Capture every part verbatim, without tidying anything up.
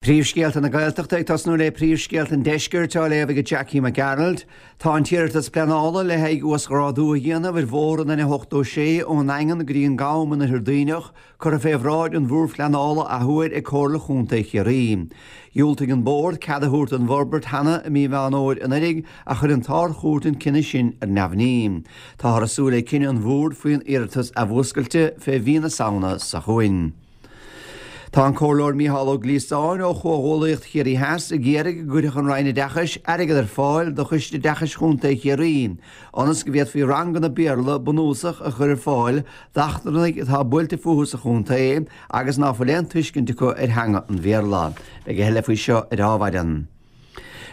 Príomhscéalta na Gaeltachta ag tosnú le príomhscéalta an deiscirt á léamh ag Jackie Mac Gearailt, Tá an t-iarratas pleanála le haghaidh uasghrádú a dhéanamh ar bhóthar an N ochtó sé ón nDaingean go dtí an gCam in Oirthear Duibhneach curtha fé bhráid an Bhoird Phleanála athuair ag Comhairle Chontae Chiarraí. Dhiúltaigh an Bord cead a thabhairt don bhforbairt cheana i mí Mheán Fhómhair anuraidh ach chuir an tArd-Chúirt an cinneadh sin ar neamhní. Táthar ag súil le cinneadh an Bhoird faoin iarratas athmhúscailte fé mhí na Samhna seo chugainn. Tá an Comhairleoir Mícheál Ó Gliasáin ó Chomhghuallaíocht Chiarraí Theas ag iarraidh go gcuirfeadh an Roinn Oideachais airgead ar fáil do Choiste Oideachais Chontae Chiarraí ionas go bhféadfaí ranganna Béarla bunúsach a chur ar fáil d'eachtrannaigh atá buailte fúthu sa chontae agus ná fuil aon tuiscint acu ar theanga an Bhéarla. Beidh a thuilleadh faoi seo ar Adhmhaidin.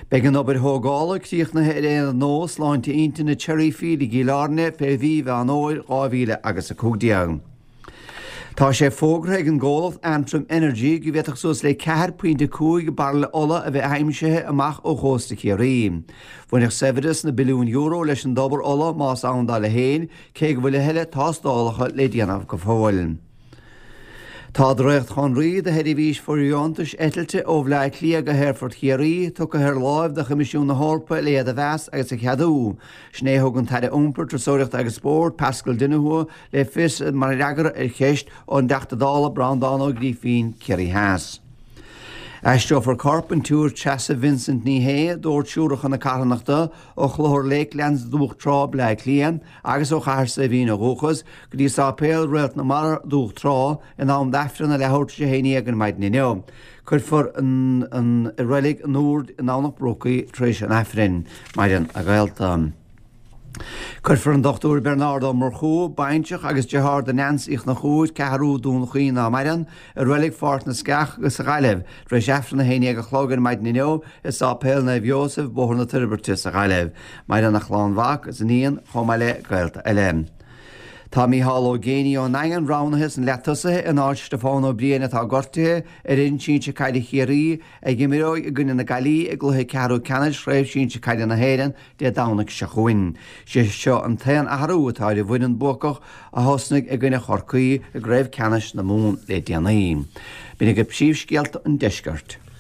Beidh an obair thógála críochnaithe ar aonad nua sláinte intinne Cherryfield i gCill Airne fé mhí Mheán Fhómhair dhá mhíle agus a cúig déag. Tá sé fógartha ag an gcomhlacht Antrim Energy go bhféadfadh suas le ceathair pointe cúig bairille ola a bheith aimsithe amach ó chósta Chiarraí. Bhainfeadh saibhreas na billiún euro leis an dtobar ola más ann dá leithéid, cé go bhfuil a thuilleadh tástálacha le déanamh go fóill. Tá dréacht-chonraí do sheirbhís fóirdheontais eitilte ó Bhaile Átha Cliath go hAerfort Chiarraí tugtha ar láimh do Choimisiún na hEorpa le iad a mheas agus a cheadú. Sin é a thug an tAire Iompair, Turasóireachta agus Spóirt, Paschal Donohoe, le fios mar fhreagra ar cheist ón dTeachta Dála Breandán Ó Grífín, Ciarraí Theas. Aistreofar corp an tSiúr Treasa Vincent Ní Shé, d'Ord Siúracha na Carthanachta, ó Chlochar Lakelands, Dumhach Trá, Bleá Cliath, agus ó Chathair Saidhbhín ó dhúchas, go dtí Sáipéal Réalt na Mara, Dumhach Trá, in am d'Aifreann a leathuair tar éis a haon déag ar maidin inniu. Cuirfear an i Reilig an Úir i nDomhnach Brocaí tar éis an Aifrinn. Maireann a gaolta. Cuirfear an Dochtúir Bernard Ó Murchú, baintreach agus deartháir do Neans Uí Chonchúir, Ceathrú Dún Chaoin ná maireann, i Reilig Pháirc na Sceach sa Ghaillimh, tar éis Aifreann a haon déag a chlog ar maidin inniu i Sáipéal Naomh Iósaf, Bóthar na Toirbhirte sa Ghaillimh. Maireann a chlann mhac is iníon chomh maith le gaolta eile. Tá Mícheál Ó Géibheannaigh ón nDaingean roghnaithe sna leatosaithe in áit Stiofán Ó Briain atá gortaithe ar fhoireann sinsir caide Chiarraí a imreoidh i gcoinne na Gaillimhe i gcluiche ceathrú ceannais Chraobh Sinsir Caide na hÉireann Dé Domhnaigh seo chugainn. Sé seo an t-aon athrú atá ar an bhfoireann buacach a thosnaigh i gcoinne Chorcaí i gCraobh Ceannais na Mumhan le déanaí. B'in agaibh príomhscéalta an deiscirt.